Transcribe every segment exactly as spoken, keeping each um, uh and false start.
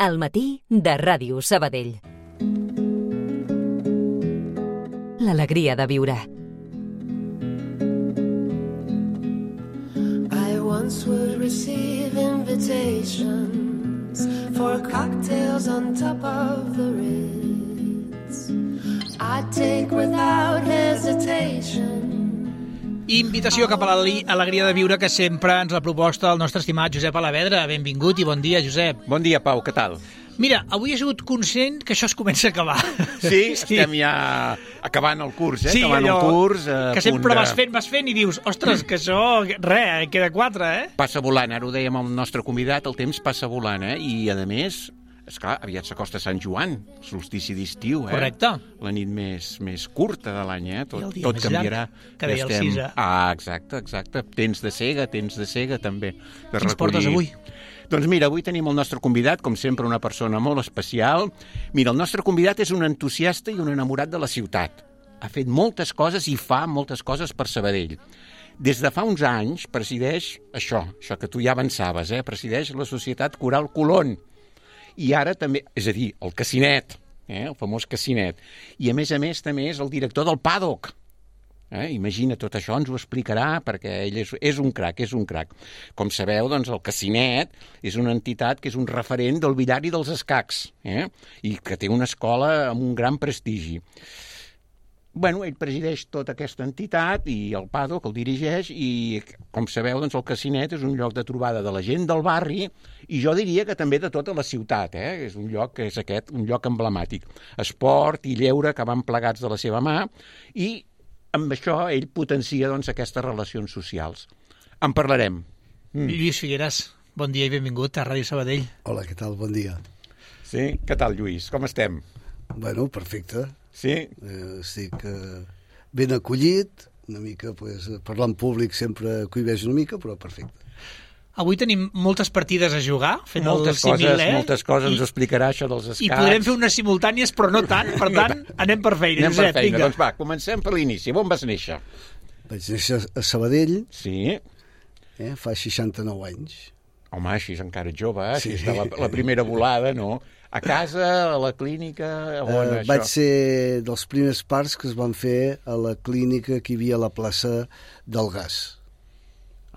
Al matí de Ràdio Sabadell. L'alegria de viure. I once would receive invitations for cocktails on top of the Ritz. I'd take without hesitation. Invitació cap a l'alegria de viure que sempre ens la proposta el nostre estimat Josep Alavedra. Benvingut i bon dia, Josep. Bon dia, Pau, què tal? Mira, avui he sigut conscient que això es comença a acabar. Sí? sí. Estem ja acabant el curs, eh? Sí, acabant allò, el curs. Que sempre vas fent, vas fent i dius, ostres, que això, res, queda quatre, eh? Passa volant, ara ho dèiem al nostre convidat, el temps passa volant, eh? I, a més, esclar, aviat s'acosta Sant Joan, solstici d'estiu, eh? Correcte. La nit més, més curta de l'any, eh? Tot, I el dia tot més canviarà. llarg, que deia el estem... Cisa. Ah, exacte, exacte. Temps de cega, temps de cega, també. De Quins portes avui? Doncs mira, avui tenim el nostre convidat, com sempre, una persona molt especial. Mira, el nostre convidat és un entusiasta i un enamorat de la ciutat. Ha fet moltes coses i fa moltes coses per Sabadell. Des de fa uns anys presideix això, això que tu ja avançaves, eh? Presideix la Societat Coral Colón. I ara també, és a dir, el Casinet, eh? El famós Casinet. I a més a més també és el director del Paddock. Eh? Imagina, tot això ens ho explicarà perquè ell és, és un crac, és un crac. Com sabeu, doncs el Casinet és una entitat que és un referent del billar i dels escacs, eh? I que té una escola amb un gran prestigi. Bueno, ell presideix tota aquesta entitat i el Paddock el dirigeix i, com sabeu, doncs el Casinet és un lloc de trobada de la gent del barri i jo diria que també de tota la ciutat, eh? És un lloc que és aquest, un lloc emblemàtic. Esport i lleure que van plegats de la seva mà i amb això ell potencia doncs, aquestes relacions socials. En parlarem. Mm. Lluís Figueres, bon dia i benvingut a Ràdio Sabadell. Hola, què tal? Bon dia. Sí? Què tal, Lluís? Com estem? Bueno, perfecte. Sí? Eh, estic eh, ben acollit, una mica, pues, parlar en públic sempre cohibeix una mica, però perfecte. Avui tenim moltes partides a jugar, fent moltes el símil, coses, eh? Moltes coses, I, ens ho explicarà això dels escacs. I podrem fer unes simultànies, però no tant, per tant, anem per feina. Anem per Josep, feina, vinga. doncs va, comencem per l'inici. On vas néixer? Vaig néixer a Sabadell, Sí. eh, fa seixanta-nou anys. Home, així és encara jove, eh? Sí. Així està la, la primera volada, no? A casa, a la clínica, on Eh, això? vaig ser dels primers parts que es van fer a la clínica que hi havia a la plaça del Gas.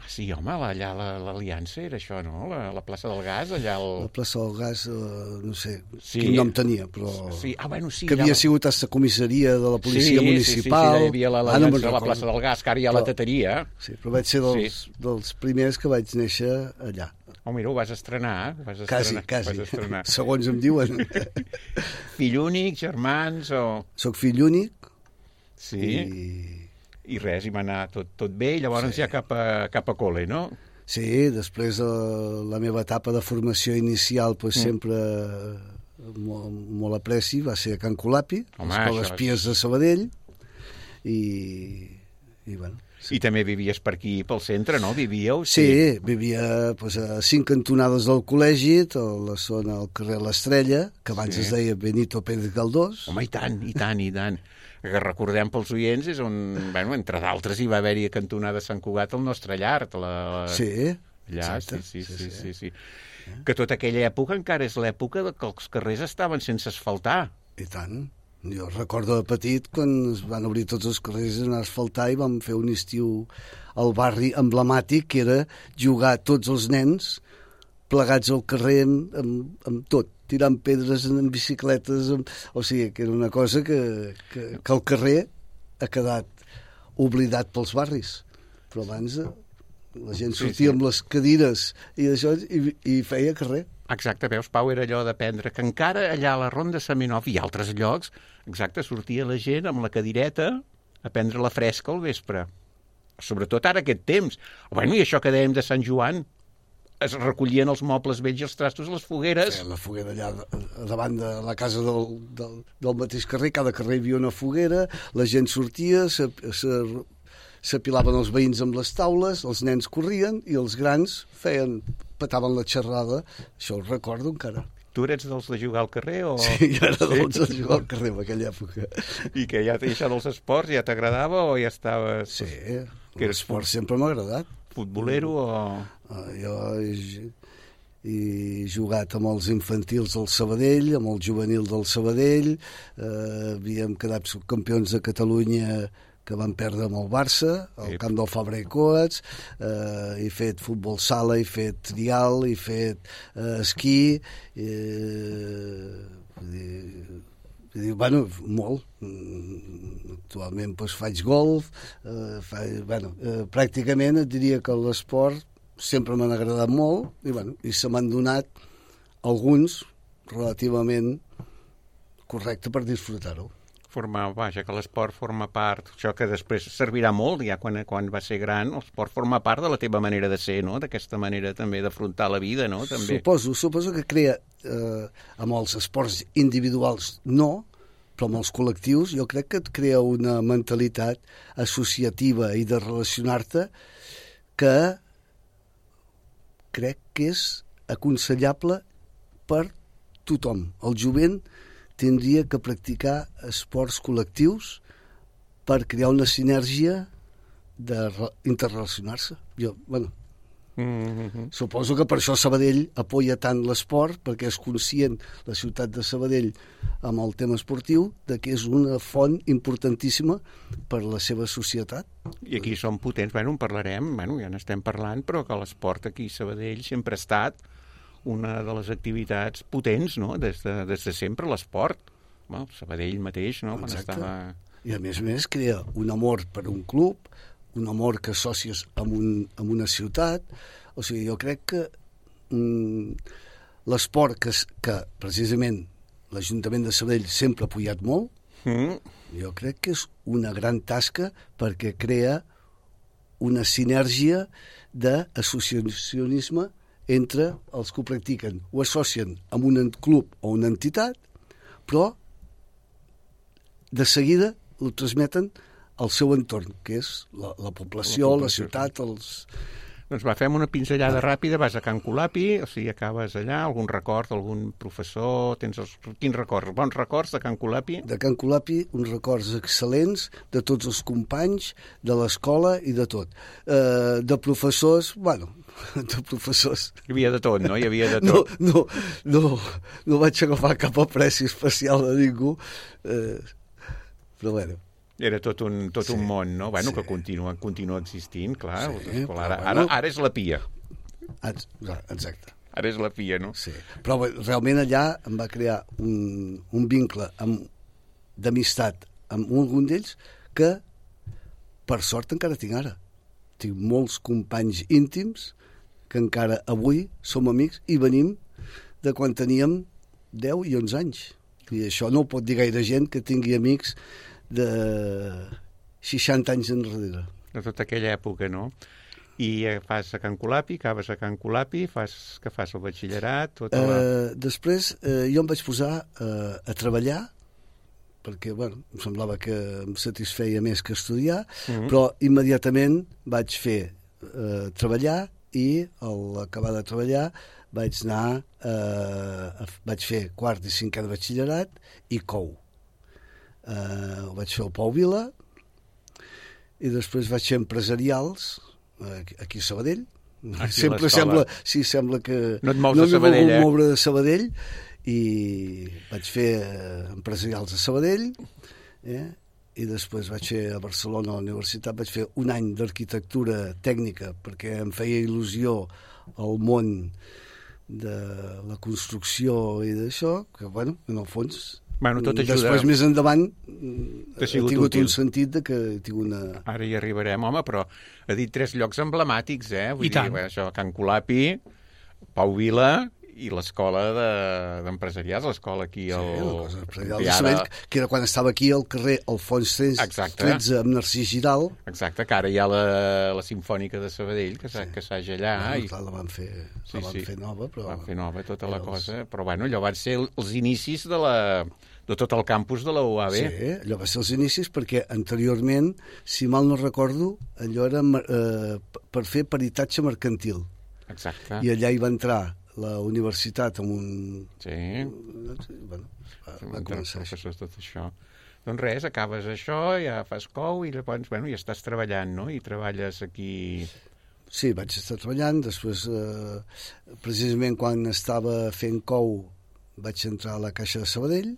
Ah, sí, home, allà l'Aliança era això, no? La, la plaça del Gas, allà La el... plaça del Gas, eh, no sé Sí. quin nom tenia, però Sí, ah, bueno, sí. que havia allà... sigut a la comissaria de la policia sí, municipal. Sí, sí, sí, hi havia Ara no l'Aliança me'n a la recordo. plaça del Gas, que ara hi ha la Però- teteria. Sí, però vaig ser dels, Sí. dels primers que vaig néixer allà. Oh, mira, ho vas estrenar, ho vas Quasi, estrenar. quasi. Vas estrenar. Segons em diuen. Fill únic, germans o... Soc fill únic Sí, i... i res, i va anar tot, tot bé, i llavors Sí. ja cap a, cap a col·le, no? Sí, després de la meva etapa de formació inicial pues, Mm. sempre molt, molt apreci, va ser a Can Colapi, a Home, l'Escola això és- Espies de Sabadell, i, i bueno... I també vivies per aquí, pel centre, no? Vivíeu? Sí, vivia pues, a cinc cantonades del col·legi, a la zona al carrer l'Estrella, que abans Sí. es deia Benito Pérez Galdós. Home, i tant, i tant, i tant. Que recordem pels oients, és on, bueno, entre d'altres, hi va haver-hi a cantonada Sant Cugat el nostre llar. La, la... Sí, Allà, exacte. sí, sí, sí, sí, sí, sí. Que tota aquella època encara és l'època que els carrers estaven sense asfaltar. I tant. Jo recordo de petit quan es van obrir tots els carrers a asfaltar i vam fer un estiu al barri emblemàtic que era jugar tots els nens plegats al carrer amb, amb, amb tot, tirant pedres en bicicletes, amb... o sigui que era una cosa que, que, que el carrer ha quedat oblidat pels barris. Però abans la gent Sí, sortia sí. amb les cadires i això i, i feia carrer. Exacte, veus, Pau, era allò d'aprendre que encara allà a la Ronda Seminov i altres llocs, exacte, sortia la gent amb la cadireta a prendre la fresca al vespre. Sobretot ara aquest temps. Bueno, i això que dèiem de Sant Joan, es recollien els mobles vells i els trastos a les fogueres. Feien la foguera allà davant de la casa del, del, del mateix carrer, cada carrer hi havia una foguera, la gent sortia, se, se, s'apilaven els veïns amb les taules, els nens corrien i els grans feien, petaven la xerrada. Això ho recordo encara. Tu eres dels de jugar al carrer o...? Sí, jo era dels de jugar al carrer en aquella època. I que ja això dels esports ja t'agradava o ja estaves... Sí, Que eres l'esport sempre m'ha agradat. futbolero o...? Uh, jo he jugat amb els infantils del Sabadell, amb el juvenil del Sabadell, eh, havíem quedat subcampions de Catalunya que van perdre amb el Barça, al camp del Fabra i Coats, eh, he fet futbol sala, he fet trial, he fet eh, esquí, eh, vull dir, vull dir, bueno, molt. Actualment doncs, faig golf, eh, faig, bueno, eh, pràcticament et diria que l'esport sempre m'han agradat molt i, bueno, i se m'han donat alguns relativament correcte per disfrutar-ho. Forma, vaja, que l'esport forma part, això que després servirà molt, ja quan, quan va ser gran, l'esport forma part de la teva manera de ser, no? D'aquesta manera també d'afrontar la vida, no? També. Suposo, suposo que crea, eh, amb els esports individuals no, però amb els col·lectius jo crec que et crea una mentalitat associativa i de relacionar-te que crec que és aconsellable per tothom. El jovent tindria que practicar esports col·lectius per crear una sinergia d'interrelacionar-se. Jo, bueno, mm-hmm. suposo que per això Sabadell apoya tant l'esport, perquè és conscient la ciutat de Sabadell amb el tema esportiu de que és una font importantíssima per la seva societat. I aquí som potents, bueno, en parlarem, bueno, ja n'estem parlant, però que l'esport aquí a Sabadell sempre ha estat una de les activitats potents, no?, des de, des de sempre, l'esport. Bueno, Sabadell mateix, no?, quan Exacte. estava... I a més a més crea un amor per un club, un amor que associes amb, un, amb una ciutat. O sigui, jo crec que mm, l'esport que, que precisament l'Ajuntament de Sabadell sempre ha apoyat molt, mm. jo crec que és una gran tasca perquè crea una sinergia d'associacionisme entre els que ho practiquen. Ho associen amb un club o una entitat, però de seguida ho transmeten al seu entorn, que és la, la població, la, la ciutat, els... Doncs va, fem una pinzellada ràpida, vas a Can Colapi, o sigui, acabes allà, algun record, algun professor, tens els... Quins records? Bons records de Can Colapi? De Can Colapi, uns records excel·lents de tots els companys, de l'escola i de tot. Eh, de professors, bueno, de professors... Hi havia de tot, no? Hi havia de tot. No, no, no, no vaig agafar cap apreci especial de ningú, eh, però bueno... Era tot un, tot sí, un món, no? Bueno, sí. que continua, continua existint, clar. Sí, ara, bueno, ara, ara és la Pia. Exacte. Ara és la Pia, no? Sí. Però realment allà em va crear un, un vincle d'amistat amb un d'ells que, per sort, encara tinc ara. Tinc molts companys íntims que encara avui som amics i venim de quan teníem deu i onze anys. I això no ho pot dir gaire gent que tingui amics de seixanta anys enrere. De tota aquella època, no? I fas a Can Colapi, acabes a Can Colapi, fas, que fas el batxillerat? Tota la... uh, després uh, jo em vaig posar uh, a treballar, perquè bueno, em semblava que em satisfeia més que estudiar, mm-hmm. però immediatament vaig fer uh, treballar i al acabar de treballar vaig anar, uh, vaig fer quart i cinquè de batxillerat i cou. Uh, ho vaig fer al Pau Vila i després vaig fer empresarials uh, aquí a Sabadell. Aquí sempre sembla, sí, sembla que no et mous no de Sabadell, eh? moure de Sabadell i vaig fer uh, empresarials a Sabadell eh? i després vaig fer a Barcelona a la universitat, vaig fer un any d'arquitectura tècnica perquè em feia il·lusió al món de la construcció i d'això, que bueno, en el fons bueno, tot ajuda. Després, més endavant, ha tingut útil. Un sentit de que tinc una... Ara hi arribarem, home, però ha dit tres llocs emblemàtics, eh? Vull I dir, tant. Bé, això, Can Colapi, Pau Vila i l'escola d'empresarials, de, l'escola aquí al... Sí, la empresarial de Sabadell, que era quan estava aquí al carrer Alfons tretze amb Narcís Giral. Exacte, que ara hi ha la, la Simfònica de Sabadell, que s'haig sí. allà. Bueno, i... clar, la van fer, sí, la van sí. fer nova, però... Van fer nova tota la els... cosa, però bueno, allò van ser els inicis de la... de tot el campus de la U A B. Sí, allò va ser els inicis perquè anteriorment, si mal no recordo, allò era eh, per fer peritatge mercantil. Exacte. I allà hi va entrar la universitat amb un... Sí. Bueno, va, va començar això. Tot això. Doncs res, acabes això, ja fas cou i llavors, bueno, ja estàs treballant, no? I treballes aquí... sí, vaig estar treballant, després, eh, precisament quan estava fent cou, vaig entrar a la Caixa de Sabadell.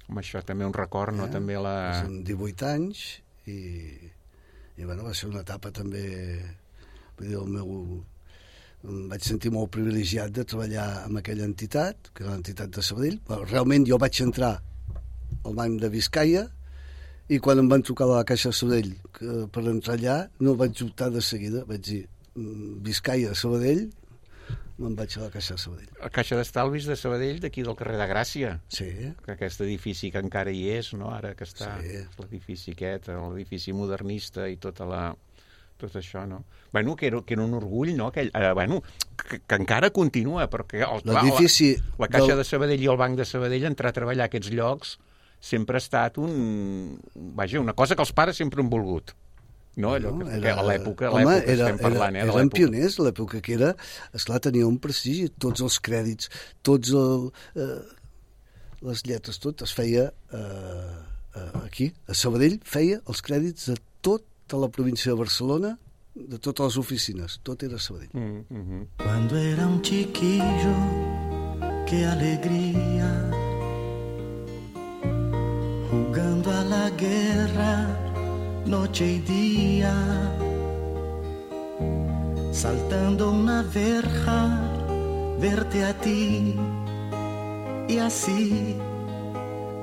Home, això també un record, no? Eh? També la... Amb divuit anys, i, i bueno, va ser una etapa també... Vull dir, el meu... Em vaig sentir molt privilegiat de treballar amb aquella entitat, que era l'entitat de Sabadell. Bueno, realment jo vaig entrar al banc de Biscaia, i quan em van trucar a la Caixa de Sabadell que, per entrar allà, no vaig optar de seguida. Vaig dir, Biscaia, Sabadell, me'n vaig a la Caixa de Sabadell. La Caixa d'Estalvis de Sabadell, d'aquí del carrer de Gràcia. Sí. Que aquest edifici que encara hi és, no? Ara que està sí. L'edifici aquest, l'edifici modernista i tota la... tot això, no? Bueno, que era, que era un orgull, no? Aquell, eh, bueno, que, que encara continua, perquè el, l'edifici la, la Caixa del... de Sabadell i el Banc de Sabadell, entrar a treballar a aquests llocs sempre ha estat un... Vaja, una cosa que els pares sempre han volgut. No, allò que, era... a l'època, a l'època era, estem parlant, era, eh? Eren pioners, l'època que era, esclar, tenia un prestigi, tots els crèdits, tots el, eh, les lletres, tot es feia eh, aquí, a Sabadell, feia els crèdits de tot de la província de Barcelona, de totes les oficines, tot era Sabadell. Mm, mm-hmm. Cuando era un chiquillo, qué alegría, jugando a la guerra, noche y día, saltando una verja, verte a ti, y así,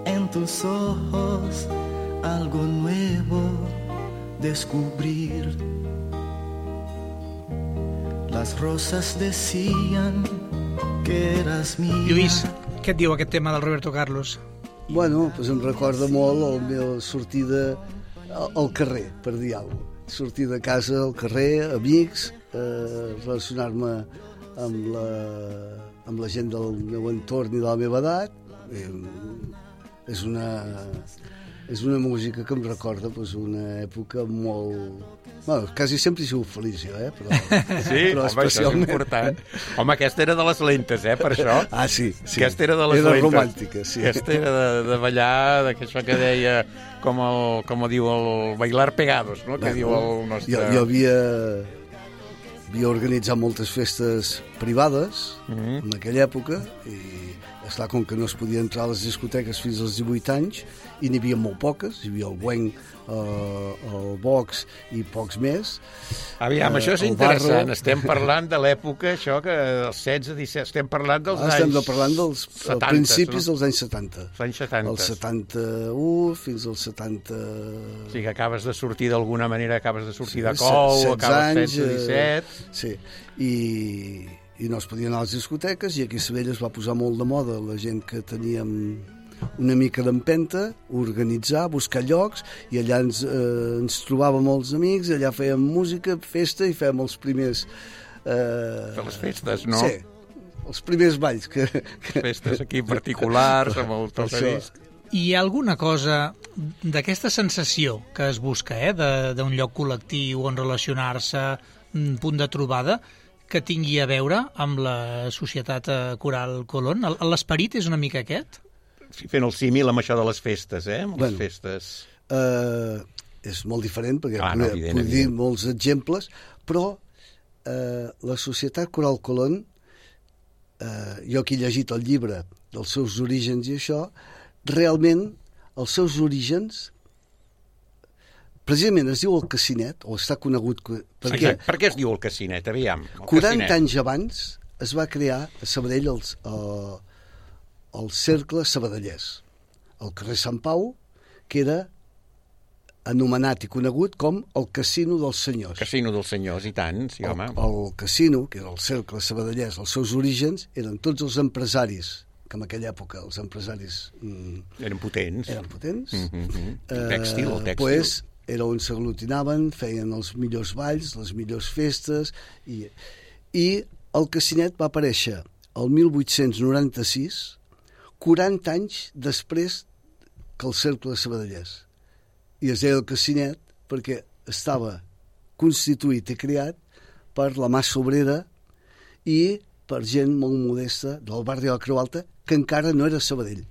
en tus ojos, algo nuevo descubrir. Las rosas decían que eras mía. Lluís, què et diu aquest tema del Roberto Carlos? Bueno, doncs em recorda molt la meva sortida al carrer, per dir alguna cosa. Sortir de casa al carrer, amics, eh, relacionar-me amb la, amb la gent del meu entorn i de la meva edat. Eh, és una... És una música que em recorda doncs, una època molt... Bueno, quasi sempre he sigut feliç, jo, eh? Però, sí, però home, especialment... això és important. Home, aquesta era de les lentes, eh, per això. Ah, sí, sí. Aquesta era de les era lentes. romàntica, sí. Aquesta era de, de ballar, d'aquaixò que deia, com, el, com diu el bailar pegados, no? Que bueno, diu el nostre... Jo, jo havia, havia organitzat moltes festes privades mm-hmm. en aquella època i, esclar, com que no es podia entrar a les discoteques fins als divuit anys, i n'hi havia molt poques, hi havia el Buenc, eh, el Vox i pocs més. Aviam, eh, això és interessant, estem parlant de l'època, això que els setze, disset, estem parlant dels ah, anys... Estem parlant dels setanta, principis no? dels anys setanta. Els anys setanta. El setanta-u fins al setanta... O sigui que acabes de sortir d'alguna manera, acabes de sortir sí, de cou, acabes setze, disset... Eh, sí, i... i no es podia anar a les discoteques, i aquí a Sabadell es va posar molt de moda la gent que teníem una mica d'empenta, organitzar, buscar llocs, i allà ens, eh, ens trobàvem molts amics, allà fèiem música, festa, i fèiem els primers... Eh, de les festes, no? Sí, els primers balls. Que, que... Festes aquí particulars, amb el tocadisc. Hi ha alguna cosa d'aquesta sensació que es busca, eh, d'un lloc col·lectiu on relacionar-se, un punt de trobada, que tingui a veure amb la Societat Coral Colón? L'esperit és una mica aquest? Fent el símil amb això de les festes, eh? Amb bueno, les festes... Eh, és molt diferent, perquè ah, no, evident, puc dir molts exemples, però eh, la Societat Coral Colón, eh, jo que he llegit el llibre dels seus orígens i això, realment els seus orígens... Precisament es diu el Cassinet, o està conegut... Perquè, per què es diu el Cassinet? Aviam, el quaranta Cassinet. anys abans es va crear a Sabadell el, el, el Cercle Sabadellès, al carrer Sant Pau, que era anomenat i conegut com el Casino dels Senyors. Casino dels Senyors, i tant, sí, el, home. El casino, que era el Cercle Sabadellès, els seus orígens eren tots els empresaris, que en aquella època els empresaris... Mm, eren potents. Eren potents. Mm-hmm. Eh, tèxtil, tèxtil. Pues, era on s'aglutinaven, feien els millors balls, les millors festes, i, i el Cassinet va aparèixer el mil vuit-cents noranta-sis, quaranta anys després que el Cercle Sabadellès. I es deia el Cassinet perquè estava constituït i creat per la massa obrera i per gent molt modesta del barri de la Creu Alta, que encara no era Sabadell.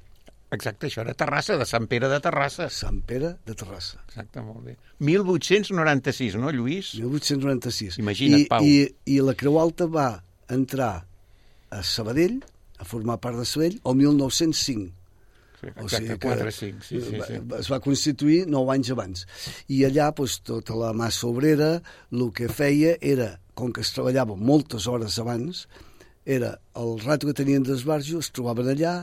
Exacte, això era Terrassa, de Sant Pere de Terrassa. Sant Pere de Terrassa. Exacte, molt bé. mil vuit-cents noranta-sis, no, Lluís? mil vuit-cents noranta-sis. Imagina't, I, Pau. I, I la Creu Alta va entrar a Sabadell, a formar part de Sabadell, el mil nou-cents cinc. Sí, O exacte, sigui que quatre cinc, sí, sí, sí. va- es va constituir nou anys abans. I allà, doncs, tota la massa obrera, el que feia era, com que es treballava moltes hores abans, era el rato que tenien d'esbarjo, es trobaven allà,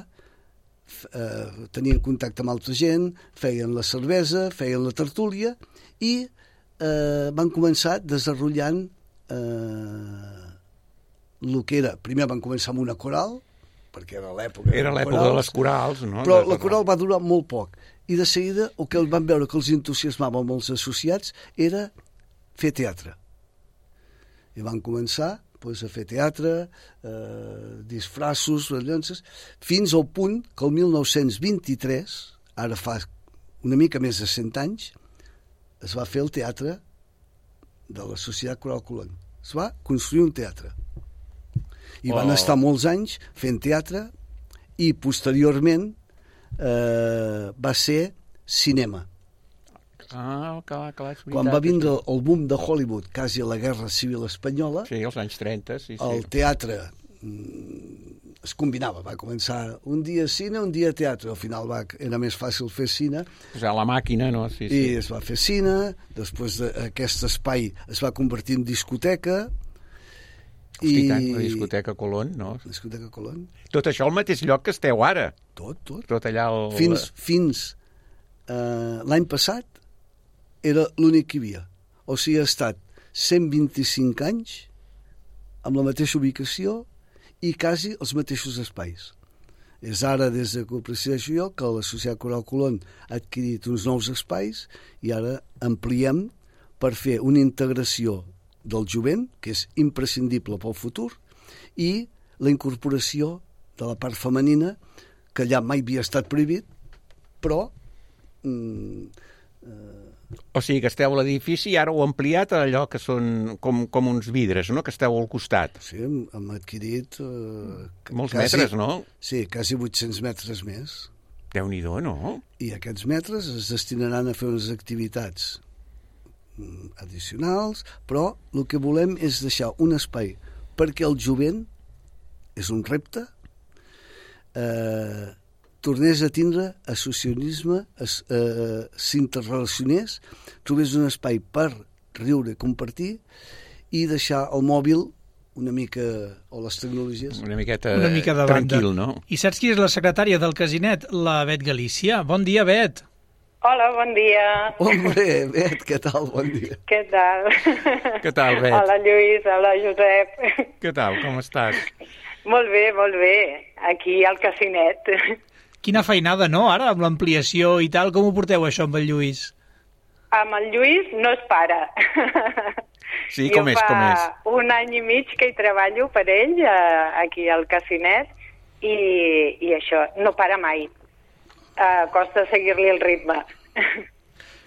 f- eh, tenien contacte amb altra gent, feien la cervesa, feien la tertúlia, i eh, van començar desenvolupant eh, el que era... Primer van començar amb una coral, perquè era l'època... Era de l'època de les corals, no? Però De- la coral va durar molt poc. I de seguida, el que van veure que els entusiasmava amb els associats era fer teatre. I van començar doncs, a fer teatre, eh, disfraços, rellonces, fins al punt que el mil nou-cents vint-i-tres, ara fa una mica més de cent anys, es va fer el teatre de la Societat Coral Colón. Es va construir un teatre. I van Oh. estar molts anys fent teatre i posteriorment eh, va ser cinema. Ah, clar, clar, és veritat. Quan va vindre el boom de Hollywood, quasi a la Guerra Civil Espanyola, Sí, als anys trenta, sí, sí. el teatre mm, es combinava. Va començar un dia cine, un dia teatre. Al final va, era més fàcil fer cine Posar la màquina, no? Sí, i sí. es va fer cine. Després d'aquest espai es va convertir en discoteca. Hosti, tant, la discoteca Colón, no? Discoteca Colón. Tot això al mateix lloc que esteu ara. Tot, tot. Tot allà al... Fins, fins eh, l'any passat era l'únic que hi havia. O sigui, ha estat cent vint-i-cinc anys amb la mateixa ubicació i quasi els mateixos espais. És ara, des de que ho presideixo jo, que la Societat Coral Colón ha adquirit uns nous espais i ara ampliem per fer una integració del jovent, que és imprescindible pel futur, i la incorporació de la part femenina, que allà mai havia estat prohibit, però... Mm, O sigui, que esteu a l'edifici i ara ho heu ampliat a allò que són com, com uns vidres, no?, que esteu al costat. sí, hem, hem adquirit... Eh, Molts quasi, metres, no? Sí, quasi vuit-cents metres més. Déu-n'hi-do, no? I aquests metres es destinaran a fer unes activitats mm, addicionals, però el que volem és deixar un espai perquè el jovent, és un repte, eh, tornés a tindre associacionisme, es, eh, s'interrelacionés, trobés un espai per riure, compartir i deixar el mòbil una mica, o les tecnologies... Una miqueta Una mica de banda. tranquil, no? I saps qui és la secretària del Casinet? La Bet Galícia. Bon dia, Bet. Hola, bon dia. Hombre, Bet, què tal? Bon dia. Què tal? Què tal, Bet? Hola, Lluís, hola, Josep. Què tal, com estàs? Molt bé, molt bé. Aquí al Casinet. Quina feinada, no, ara, amb l'ampliació i tal. Com ho porteu, això, amb el Lluís? Amb el Lluís no es para. Sí, com és, com és? Jo fa un any i mig que hi treballo per ell, eh, aquí al Casinet, i, i això, no para mai. Uh, costa seguir-li el ritme.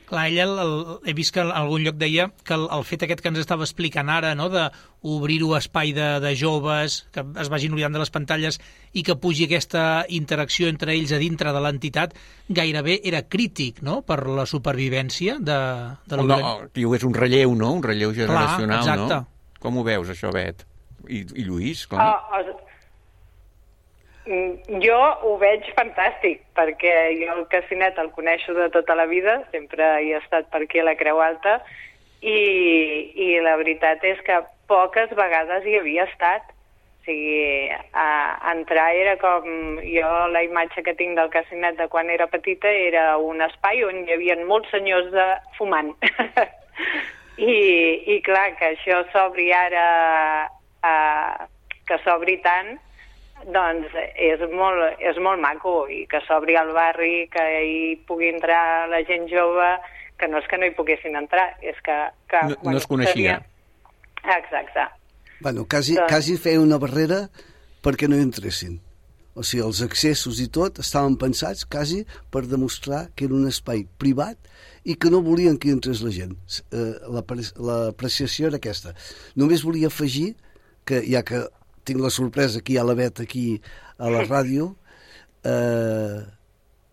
Clar, ella, el, el, he vist que en algun lloc deia que el, el fet aquest que ens estava explicant ara, no?, d'obrir-ho a espai de, de joves, que es vagin oblidant de les pantalles i que pugi aquesta interacció entre ells a dintre de l'entitat, gairebé era crític, no?, per la supervivència de, de No, diu, és un relleu, no?, un relleu generacional, Clar, exacte. no? Com ho veus, això, Bet? I, i Lluís, com? Oh, oh, jo ho veig fantàstic, perquè jo el Casinet el coneixo de tota la vida, sempre hi he estat per aquí a la Creu Alta, i, i la veritat és que poques vegades hi havia estat. O sigui, a, a entrar era com... Jo la imatge que tinc del Casinet de quan era petita era un espai on hi havia molts senyors de, fumant. I, I clar, que això s'obri ara, a, que s'obri tant, doncs és molt, és molt maco, i que s'obri al barri, que hi pugui entrar la gent jove, que no és que no hi poguessin entrar, és que... que No- no es coneixia. Tenia... Exacte. Bueno, quasi, Doncs- quasi feia una barrera perquè no hi entressin. O sigui, els accessos i tot estaven pensats quasi per demostrar que era un espai privat i que no volien que hi entrés la gent. Eh, l'apre- L'apreciació era aquesta. Només volia afegir que, ja que tinc la sorpresa que hi ha la Bet aquí a la ràdio, eh,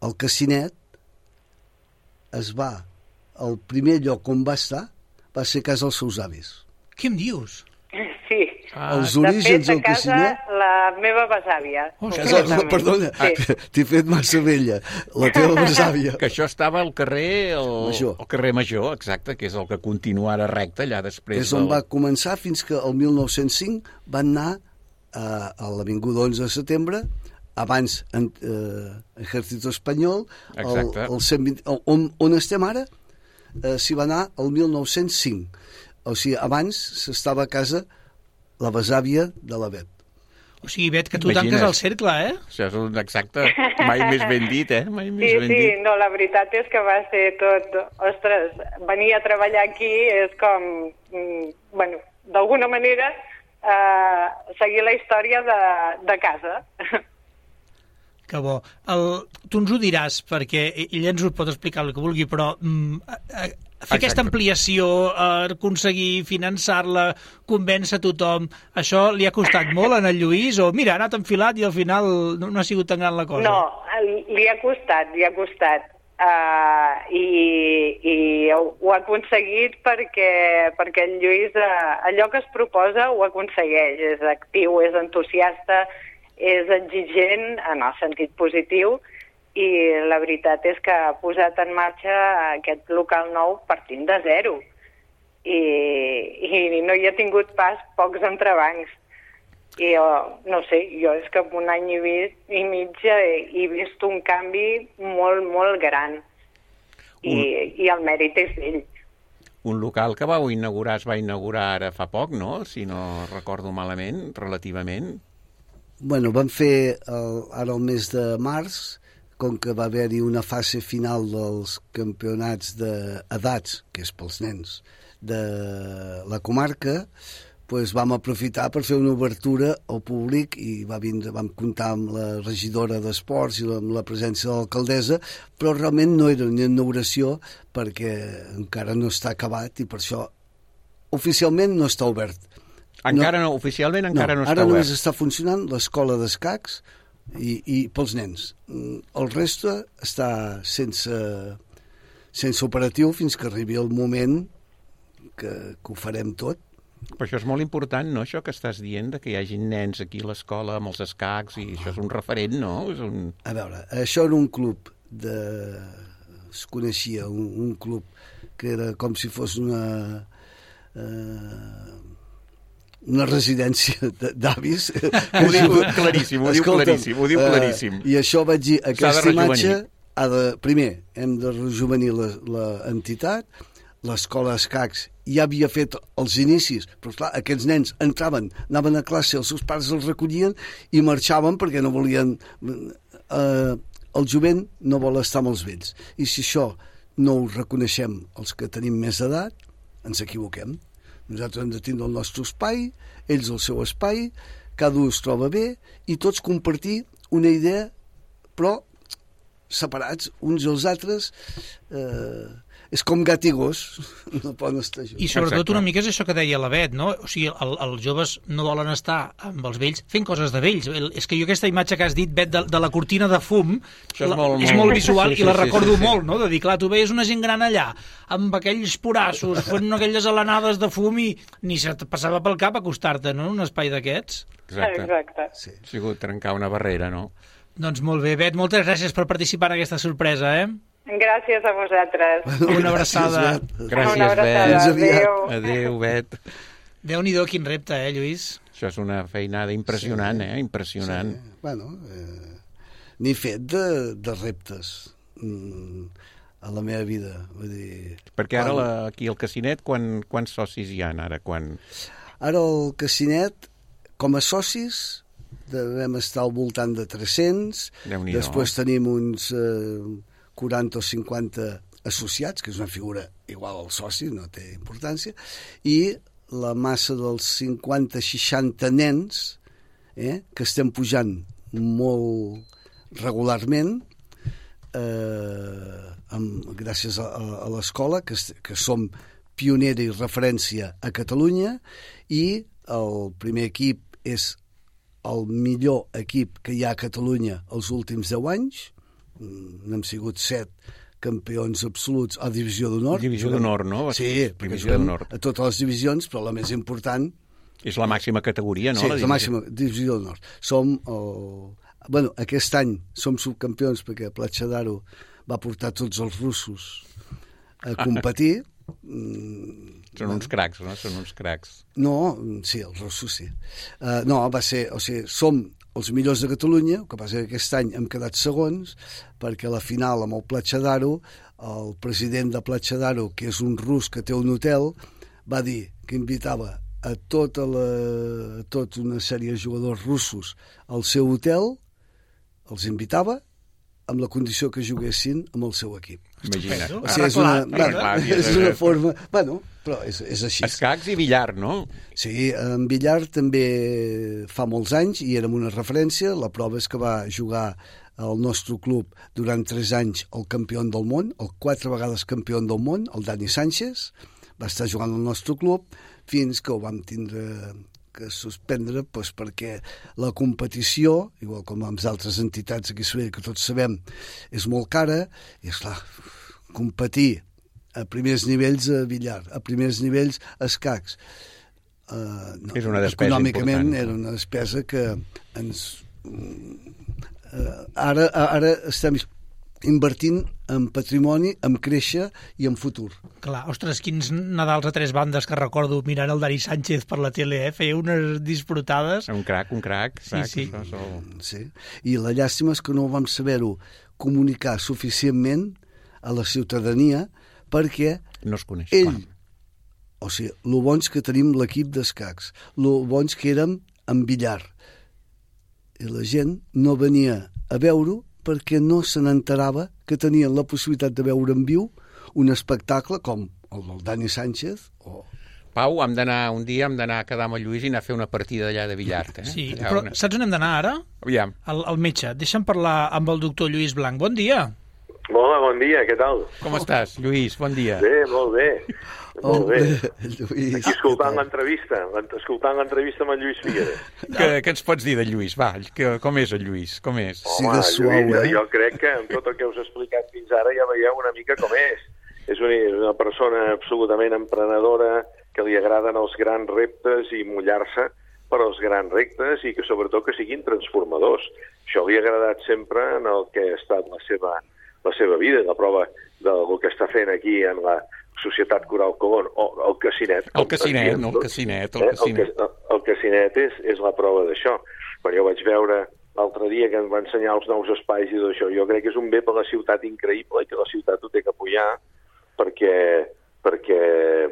el Casinet es va, el primer lloc on va estar va ser a casa dels seus avis. Què em dius? Sí. Ah, Els De orígens fet, a del casa, Casinet... la meva besàvia. Ostres. Casa, concretament. perdona, Sí. t'he fet massa vella. La teva besàvia. Que això estava al carrer... El, Major. el carrer Major, exacte, que és el que continua ara recte, allà després És on del... va començar fins que el mil nou-cents cinc van anar a, a l'Avinguda onze de setembre, abans en eh, Ejército Espanyol, el, Exacte. el cent vint, el, on, on estem ara, eh, s'hi va anar el mil nou-cents cinc. O sigui, abans s'estava a casa la besàvia de la Bet. O sigui, Bet, que tu Imagines. tanques el cercle, eh? Això és un exacte... Mai més ben dit, eh? Mai Sí, més ben sí, dit. no, la veritat és que va ser tot... Ostres, venir a treballar aquí és com... mm, Bueno, d'alguna manera, eh, seguir la història de, de casa. Que bo. El, tu ens ho diràs, perquè ell ens ho pot explicar el que vulgui, però mm, a, a, fer aquesta Exacte. ampliació, eh, aconseguir finançar-la, convèncer tothom, això li ha costat molt en el Lluís? O mira, ha anat enfilat i al final no, no ha sigut tan gran la cosa? No, li ha costat, li ha costat. Uh, i, i ho, ho ha aconseguit perquè, perquè el Lluís uh, allò que es proposa ho aconsegueix. És actiu, és entusiasta, és exigent en el sentit positiu i la veritat és que ha posat en marxa aquest local nou partint de zero i, i no hi ha tingut pas pocs entrebancs. I jo, no sé, jo és que en un any i, vist, i mig he, he vist un canvi molt, molt gran i, Un- i el mèrit és d'ell. Un local que vau inaugurar, es va inaugurar ara fa poc, no? Si no recordo malament, relativament. Bueno, vam fer el, ara el mes de març, com que va haver-hi una fase final dels campionats d'edats, que és pels nens, de la comarca, pues vam aprofitar per fer una obertura al públic i va vindre, vam comptar amb la regidora d'Esports i amb la presència de l'alcaldessa, però realment no era una inauguració perquè encara no està acabat i per això oficialment no està obert. Encara no, oficialment encara no, no està ara obert. només està funcionant l'escola d'escacs i, i pels nens. Mm, El reste està sense, sense operatiu fins que arribi el moment que, que ho farem tot. Però això és molt important, no?, això que estàs dient, de que hi hagi nens aquí a l'escola amb els escacs, i això és un referent, no? És un... A veure, això era un club de... es coneixia, un, un club que era com si fos una... Eh, una residència de- d'avis. Ho diu claríssim, ho diu Escolta'm, claríssim, ho diu eh, claríssim. I això vaig dir, S'ha de aquesta imatge rejovenir. ha de, primer, hem de rejuvenir l'entitat, l'escola escacs ja havia fet els inicis, però clar, aquests nens entraven, anaven a classe, els seus pares els recollien i marxaven perquè no volien... Eh, el jovent no vol estar amb els vells. I si això no ho reconeixem els que tenim més edat, ens equivoquem. Nosaltres hem de tindre el nostre espai, ells el seu espai, cada un es troba bé i tots compartir una idea, però separats uns dels altres. Eh, és com gat i gos, no poden estar junts. I sobretot Exacte. una mica és això que deia la Bet, no? O sigui, el, els joves no volen estar amb els vells fent coses de vells. El, és que jo aquesta imatge que has dit, Bet, de, de la cortina de fum, Això és la, molt, és molt- molt visual sí, sí, i la sí, recordo sí, sí. molt, no? De dir, clar, tu veies una gent gran allà, amb aquells porassos, fent aquelles alenades de fum i ni se et passava pel cap acostar-te, no?, en un espai d'aquests. Exacte. Exacte. Sí. Ha sigut trencar una barrera, no? Doncs molt bé, Bet, moltes gràcies per participar en aquesta sorpresa, eh? Gràcies a vosaltres. Una abraçada. Gràcies, Bet. Gràcies, Una abraçada. Fins Bet. aviat. Adéu. Adéu, Bet. Déu-n'hi-do, quin repte, eh, Lluís? Això és una feinada impressionant, eh? Impressionant. Sí. Bueno, eh, n'he fet de, de reptes mm, a la meva vida. Vull dir, Perquè ara quan- la, aquí al Casinet, quan, quants socis hi ha ara? Quan... Ara el Casinet, com a socis, devem estar al voltant de tres-cents. Déu-n'hi-do. Després tenim uns eh, quaranta o cinquanta associats, que és una figura igual al soci, no té importància, i la massa dels cinquanta seixanta nens eh, que estem pujant molt regularment eh, amb, gràcies a, a, a l'escola, que, est- que som pionera i referència a Catalunya, i el primer equip és el millor equip que hi ha a Catalunya els últims deu anys, n'hem sigut set campions absoluts a Divisió d'Honor. Divisió d'Honor, no? Sí, perquè juguem a totes les divisions, però la més important... És la màxima categoria, no? Sí, la, la màxima Divisió d'Honor. Som, el... bueno, aquest any som subcampions perquè Platja d'Aro va portar tots els russos a competir. Són uns cracs, no? Són uns cracs. No, sí, els russos sí. Uh, no, va ser... O sigui, som els millors de Catalunya, el que passa que aquest any hem quedat segons, perquè a la final amb el Platja d'Aro, el president de Platja d'Aro, que és un rus que té un hotel, va dir que invitava a tota, la, a tota una sèrie de jugadors russos al seu hotel, els invitava, amb la condició que juguessin amb el seu equip. Imagina't. O sigui, és una, bueno, és una forma... Bueno, però és, és així. Escacs i billar, no? Sí, en billar també fa molts anys i érem una referència. La prova és que va jugar al nostre club durant tres anys el campió del món, el quatre vegades campió del món, el Dani Sánchez. Va estar jugant al nostre club fins que ho vam tindre que suspendre, doncs, perquè la competició, igual com amb altres entitats aquí a Sabadell, que tots sabem, és molt cara, i esclar, competir a primers nivells a billar, a primers nivells a escacs, uh, no, és una despesa econòmicament important. Era una despesa que ens... Uh, ara, ara estem invertint en patrimoni, en créixer i en futur. Clar, ostres, quins Nadals a tres bandes que recordo mirant el Dani Sánchez per la tele, eh? Feia unes disfrutades. Un crac, un crac. crac sí, sí. Això, això... sí. I la llàstima és que no vam saber-ho comunicar suficientment a la ciutadania perquè no es coneix, ell, clar. O sigui, lo bons que tenim l'equip d'escacs, lo bons que érem en billar. I la gent no venia a veure-ho perquè no se n'enterava que tenien la possibilitat de veure en viu un espectacle com el del Dani Sánchez o... Pau, hem d'anar un dia, hem d'anar a quedar amb el Lluís i anar a fer una partida allà de billar. Eh? Sí, allà però una... saps on hem d'anar ara? Aviam. Al, al metge. Deixa'm parlar amb el doctor Lluís Blanc. Bon dia. Hola, bon dia, què tal? Com estàs, Lluís? Bon dia. Bé, molt bé. Molt bé. Lluís, aquí escoltant l'entrevista, escoltant l'entrevista amb el Lluís Figueres. Què, què ens pots dir de Lluís? Va, que, com és el Lluís? Com és? Home, sí, suau, Lluís, eh? jo crec que amb tot el que us he explicat fins ara ja veieu una mica com és. És una, una persona absolutament emprenedora, que li agraden els grans reptes i mullar-se per als grans reptes i que sobretot que siguin transformadors. Això li ha agradat sempre en el que ha estat la seva, la seva vida, la prova del que està fent aquí en la Societat Coral Colón, o el Casinet. El Casinet, no, el Casinet. El Casinet, eh? el, el Casinet és, és la prova d'això. Quan jo vaig veure l'altre dia que em va ensenyar els nous espais i tot això, jo crec que és un bé per la ciutat increïble i que la ciutat ho té que apoyar perquè, perquè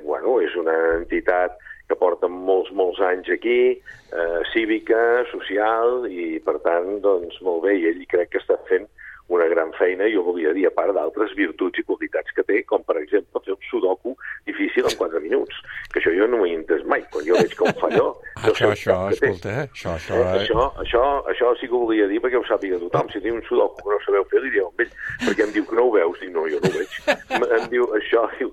bueno, és una entitat que porta molts, molts anys aquí, eh, cívica, social, i per tant, doncs, molt bé, i ell crec que està fent una gran feina, i jo volia dir, a part d'altres virtuts i qualitats que té, com per exemple fer un sudoku difícil en quatre minuts, que això jo no ho he entès mai, quan jo veig que un falló... Això, això, escolta, això, això... Eh, això, això, això sí que ho volia dir perquè ho sàpiga tothom. Si diu un sudoku que no sabeu fer, li dieu amb ell, perquè em diu que no ho veus, dic no, jo no ho veig. Em diu això, diu,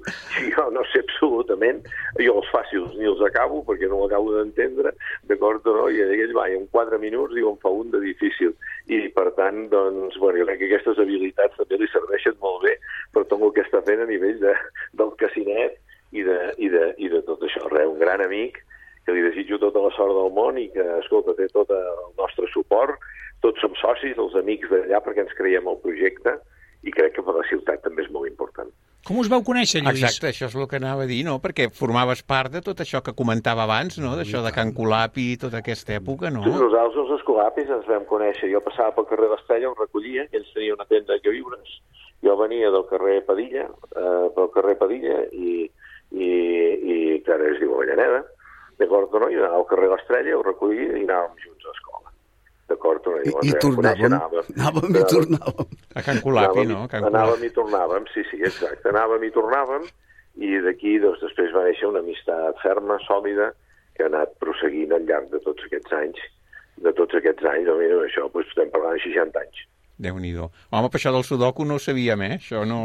jo no sé absolutament, jo els fàcils ni els acabo perquè no ho acabo d'entendre, d'acord o no? I ell va, i en quatre minuts diu, em fa un de difícil. I per tant, doncs, bueno, jo crec que aquestes habilitats també li serveixen molt bé per tot el que està fent a nivell de, del Casinet i de, i, de, i de tot això. Re, un gran amic que li desitjo tota la sort del món i que, escolta, té tot el nostre suport. Tots som socis, els amics d'allà, perquè ens creiem el projecte i crec que per la ciutat també és molt important. Com us vau conèixer, Lluís? Exacte, això és el que anava a dir, no? Perquè formaves part de tot això que comentava abans, no? D'això de Can Colapi i tota aquesta època, no? Nosaltres, els escolapis, ens vam conèixer. Jo passava pel carrer l'Estrella, ho recollia, i ells tenien una tenda de queviures. Jo venia del carrer Padilla, eh, pel carrer Padilla, i, i, i que ara es diu Avellaneda, d'acord o no? I anava al carrer l'Estrella, ho recollia i anàvem junts a escola. D'acord o no? I, i tornàvem, anàvem, anàvem i tornàvem. A Can Colapi, no? Can anàvem i tornàvem, sí, sí, exacte. Anàvem i tornàvem, i d'aquí doncs, després va néixer una amistat ferma, sòlida, que ha anat prosseguint al llarg de tots aquests anys. De tots aquests anys, doncs, això, doncs, estem parlant de seixanta anys. Déu-n'hi-do. Home, per això del sudoku no ho sabíem, eh? Això no...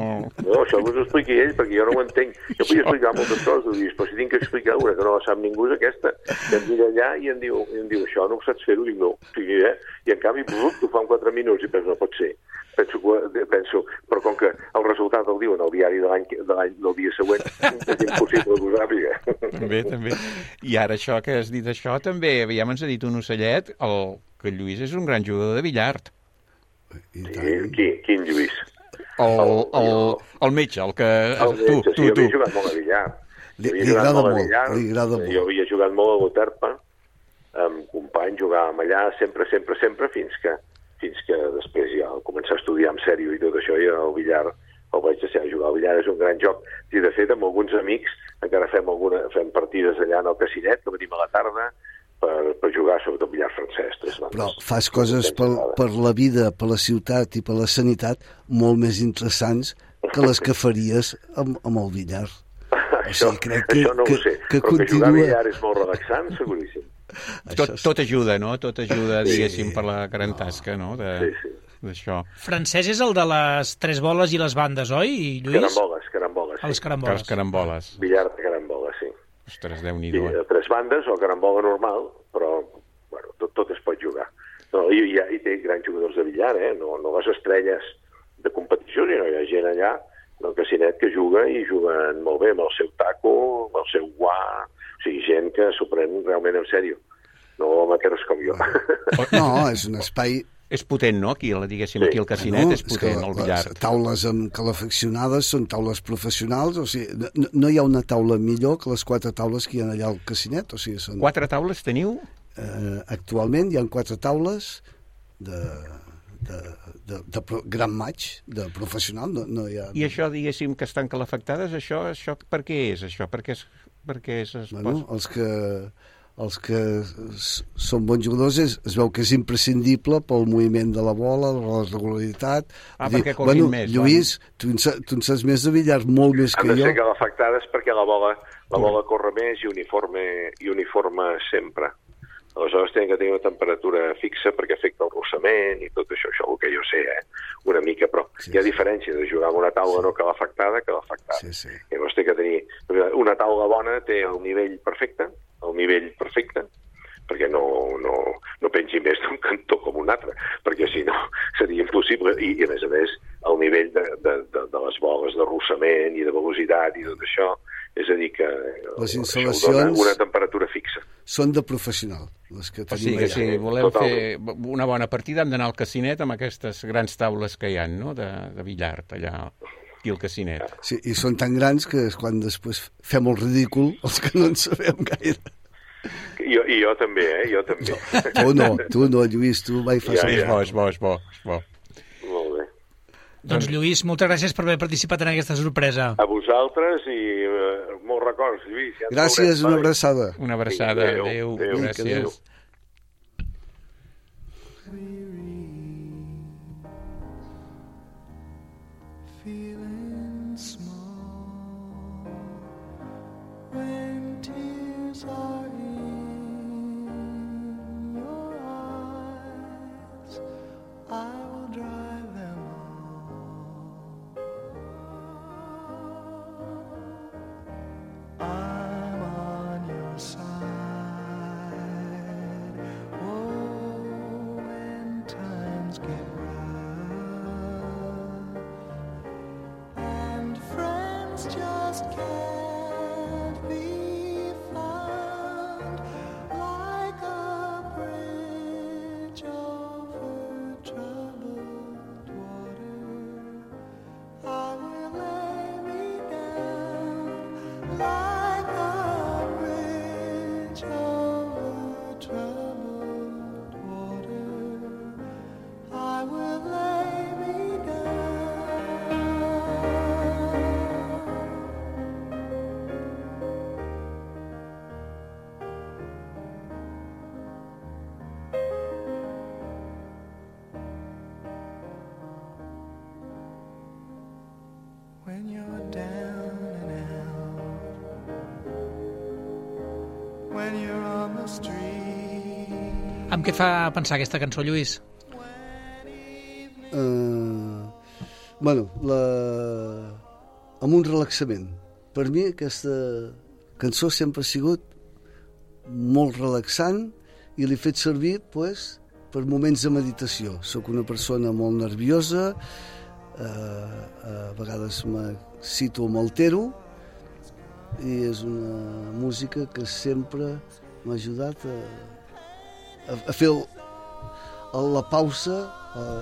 No, això us ho expliqui ell, perquè jo no ho entenc. Jo podia explicar moltes coses, dius, però si tinc que explicar una que no la sap ningú és aquesta. I em mira allà i em diu, i em diu això no ho saps fer-ho? Dic, no. O sigui, eh? I en canvi, brut, ho fa en quatre minuts i penso, no pot ser. Penso que l'any de l'any del dia següent és impossible que ho sàpiga. També, també. I ara això que has dit això, també, aviam, ens ha dit un ocellet, el, que el Lluís és un gran jugador de billard. Sí, qui, quin Lluís? El, el, el metge, el que... El tu, metge, tu, sí, jo tu. havia jugat molt a billard. Li, li agrada molt, li agrada molt. Jo havia jugat molt a Goterpa, amb companys, jugàvem allà sempre, sempre, sempre, fins que, fins que després ja al començar a estudiar en sèrio i tot això, i el billar el vaig deixar de jugar. El billar és un gran joc. I, de fet, amb alguns amics encara fem, alguna, fem partides allà en el Casinet, que venim a la tarda, per, per jugar, sobretot billar francès. Tres bandes. Però fas coses per, per la vida, per la ciutat i per la sanitat molt més interessants que les que faries amb, amb el billar. Això, o sigui, crec que, això no que, ho sé, que però continua... que jugar a billar és molt relaxant, seguríssim. Tot, tot ajuda, no? Tot ajuda, diguéssim, sí. per la gran tasca, no? De, sí, sí. D'això. Francès és el de les tres boles i les bandes, oi, Lluís? Caramboles, caramboles. Sí. Els caramboles. Els caramboles. Billar de caramboles, sí. Ostres, Déu-n'hi-do. Sí, tres bandes o carambola normal, però bueno, tot, tot es pot jugar. No, i, i, i té grans jugadors de billar, eh? No, no les estrelles de competició, sinó hi ha gent allà del Casinet que juga i juguen molt bé amb el seu taco, amb el seu guà, o sigui, gent que s'ho pren realment en sèrio. No maqueros com jo. No, és un espai... És potent, no? Aquí, diguéssim, sí. Aquí el Casinet no, és potent, és el billar. Les taules amb calefaccionades són taules professionals, o sigui, no, no hi ha una taula millor que les quatre taules que hi ha allà al Casinet. O sigui, són... Quatre taules teniu? Eh, actualment hi ha quatre taules de, de, de, de, de gran maig, de professional. No, no hi ha... I això, diguéssim, que estan calefactades, això, això per què és, això? Per què és, per què és es bueno, els que... els que són bons jugadors es, es veu que és imprescindible pel moviment de la bola, la regularitat. Ah, dir, perquè corrin bueno, més. Lluís, tu en, tu en saps més de billar, molt més que jo. Han de ser calefactades perquè la bola, la bola corre més i uniforme, i uniforme sempre. Aleshores tenen que tenir una temperatura fixa perquè afecta el rossament i tot això, això el que jo sé, eh? Una mica, però sí, hi ha diferència de jugar amb una taula sí. no calefactada que calefactada. Sí, sí. Llavors té que tenir... Una taula bona té el nivell perfecte, el nivell perfecte, perquè no, no, no pengi més d'un cantó com un altre, perquè si no seria impossible. I, i a més a més, el nivell de, de, de, de les boles de rossament i de velocitat i tot això, és a dir que les instal·lacions una temperatura fixa. Són de professional, les que tenim. O sigui que si volem Totalment. fer una bona partida hem d'anar al Casinet amb aquestes grans taules que hi ha, no?, de, de billard allà aquí al Casinet. Sí, i són tan grans que és quan després fem el ridícul els que no en sabem gaire. Jo, I jo també, eh? Jo també. Tu no, tu no, Lluís, tu mai fas... Ja, ja. És bo, és bo, és bo, és bo. Molt bé. Doncs, Lluís, moltes gràcies per haver participat en aquesta sorpresa. A vosaltres i uh, molts records, Lluís. Ja gràcies, una abraçada. Una abraçada, adéu, adéu, adéu, adéu gràcies. Adéu. Amb què et fa pensar aquesta cançó, Lluís? Uh, bueno, la... amb un relaxament. Per mi aquesta cançó sempre ha sigut molt relaxant i l'he fet servir pues, per moments de meditació. Soc una persona molt nerviosa eh, a vegades me cito amb el Tero, i és una música que sempre m'ha ajudat a, a, a fer el, a la pausa,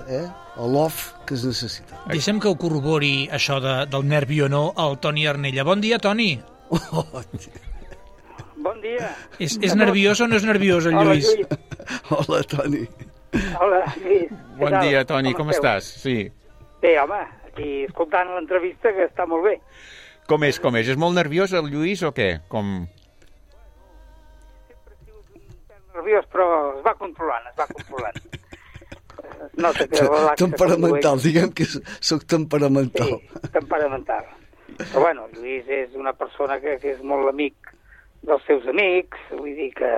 eh, a l'off que es necessita. Deixa'm que ho corrobori això de, del nervi o no al Toni Arnella. Bon dia, Toni. Oh, bon dia. És, és nerviós o no és nerviós, el Lluís? Hola, Lluís. Hola, Toni. Hola, Lluís. Bon dia, Toni, com, com estàs? Sí. Bé, home, aquí escoltant l'entrevista, que està molt bé. Com és, com és? És molt nerviós el Lluís o què? Com... Sempre ha sigut nerviós, però es va controlant, es va controlant. No sé, que relaxa. Temperamental, diguem que soc temperamental. Sí, temperamental. Però bueno, Lluís és una persona que, que és molt amic dels seus amics, vull dir que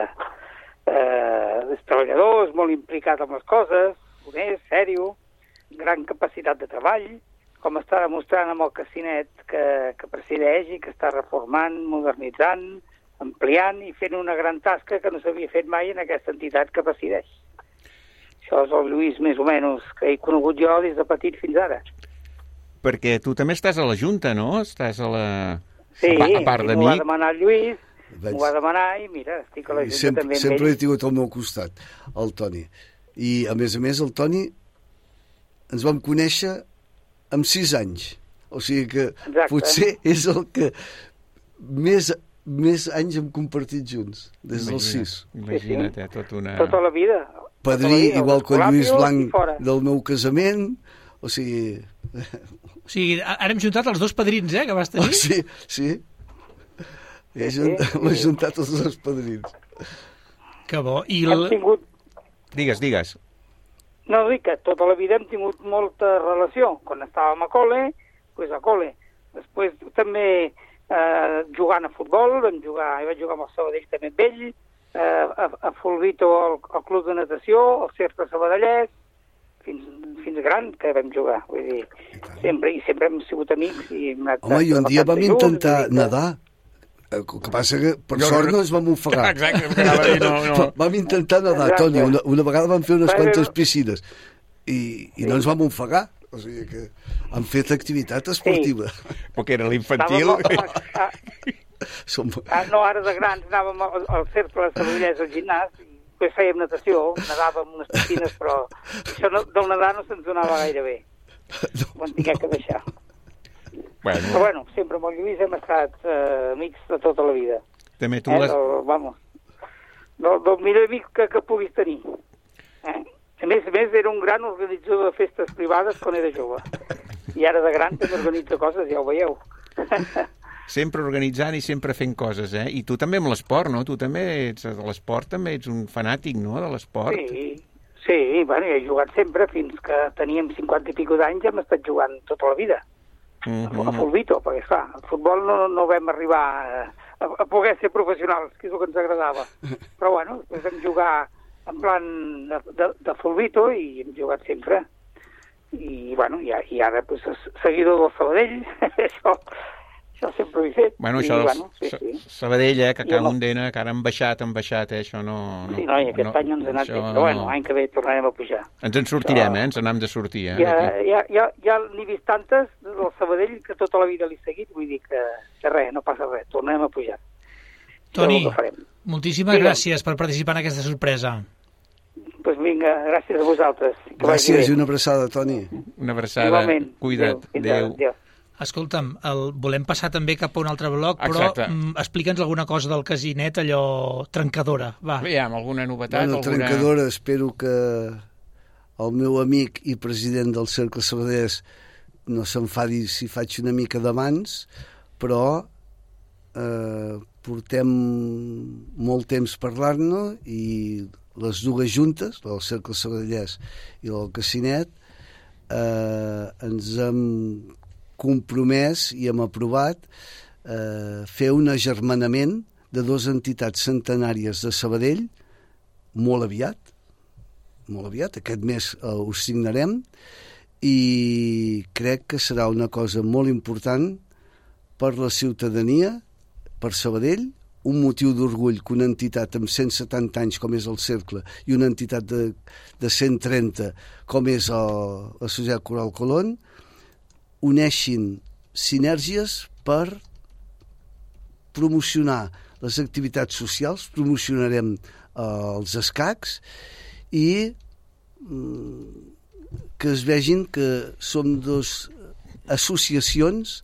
eh, és treballador, és molt implicat amb les coses, honest, sèrio, gran capacitat de treball, com està demostrant amb el Casinet que, que presideix i que està reformant, modernitzant, ampliant i fent una gran tasca que no s'havia fet mai en aquesta entitat que presideix. Això és el Lluís més o menys que he conegut jo des de petit fins ara. Perquè tu també estàs a la Junta, no? Estàs a la... Sí, a, a part m'ho va demanar el Lluís, m'ho va demanar i mira, estic a la Junta sempre, també amb sempre ell. he tingut al meu costat, el Toni. I, a més a més, el Toni ens vam conèixer amb sis anys. O sigui que Exacte. Potser és el que més, més anys hem compartit junts, des dels sis. Imagina't, eh, tot una... Tota la vida. Padrí, tota la vida, igual que el Lluís Blanc fora. del meu casament, o sigui... O sigui, ara hem juntat els dos padrins, eh, que vas tenir? Oh, sí, sí. He junt, sí, sí. M'he juntat els dos padrins. Que bo. I Hem el... tingut... Digues, digues. No, dic que tota la vida hem tingut molta relació. Quan estàvem a col·le, doncs a col·le. Després també eh, jugant a futbol, vam jugar, jo vaig jugar amb el Sabadell també amb ell, eh, a, a Fulvito al, al club de natació, al Cercle Sabadellès, fins, fins gran que vam jugar. Vull dir, sempre, i sempre hem sigut amics. I hem anat Home, i un dia vam intentar junts, nedar. El que passa que, per Jo sort, no- no ens vam ofegar. Exacte, que anava a dir, no, no. Vam intentar nedar, Exacte. Toni. Una, una vegada vam fer unes Però- quantes piscines i, i no ens vam ofegar. O sigui que hem fet activitat esportiva. Perquè era l'infantil. Estàvem a, a, Som... Ah, no, ara de grans anàvem al, al cercle de Sabadellès, al gimnàs, i després fèiem natació, nedàvem unes piscines, però això no, del nedar no se'ns donava gaire bé. Ho vam tingué que deixar. Bueno, Però bueno, sempre amb el Lluís hem estat eh, amics de tota la vida. també tu Eh? les... Del, vamos, del, del millor amic que, que puguis tenir. Eh? A més a més, era un gran organitzador de festes privades quan era jove. I ara de gran també organitza coses, ja ho veieu. Sempre organitzant i sempre fent coses, eh? I tu també amb l'esport, no? Tu també ets de l'esport, també ets un fanàtic, no?, de l'esport. Sí, sí, bueno, he jugat sempre, fins que teníem cinquanta i pico d'anys, hem estat jugant tota la vida. Mm A Fulvito, perquè clar, el futbol no, no vam arribar a, a poder ser professionals, que és el que ens agradava. Però bueno, després vam jugar en plan de, de, de Fulvito i hem jugat sempre. I bueno, i, i ara pues, seguidor del Sabadell, això, això sempre ho he fet. Bueno, I, això del bueno, sí, sí. Sabadell, eh, que I cada amb- un d'ena, que ara han baixat, han baixat, eh, això no... no Sí, no, i aquest no, any ens ha anat això bé, però bueno, no. l'any que ve tornarem a pujar. Ens en sortirem, Però- eh, ens n'hem de sortir, eh, Ja, d'aquí. ja, ja, ja n'he vist tantes del Sabadell que tota la vida l'he seguit, vull dir que, que res, no passa res, tornem a pujar. Toni, Això és el que farem. moltíssimes Digue'm. gràcies per participar en aquesta sorpresa. Doncs pues vinga, gràcies a vosaltres. Que vagi Gràcies bé. i una abraçada, Toni. Una abraçada, Igualment. cuida't, Adéu. Fins ara. adéu. Adéu. Escolta'm, el, volem passar també cap a un altre bloc, però Exacte. mm, explica'ns alguna cosa del Casinet, allò trencadora. Va. Aviam, alguna novetat? Bueno, alguna... trencadora, espero que el meu amic i president del Cercle Sabadellès no s'enfadi si faig una mica de mans, però eh, portem molt temps parlant-ne i les dues juntes, del Cercle Sabadellès i del Casinet, eh, ens hem compromès i hem aprovat eh, fer un agermanament de dues entitats centenàries de Sabadell molt aviat, molt aviat, aquest mes eh, ho signarem, i crec que serà una cosa molt important per la ciutadania, per Sabadell, un motiu d'orgull que una entitat amb cent setanta anys com és el Cercle i una entitat de, de cent trenta com és el, la Societat Coral Colón uneixin sinergies per promocionar les activitats socials, promocionarem eh, els escacs i mm, que es vegin que som dos associacions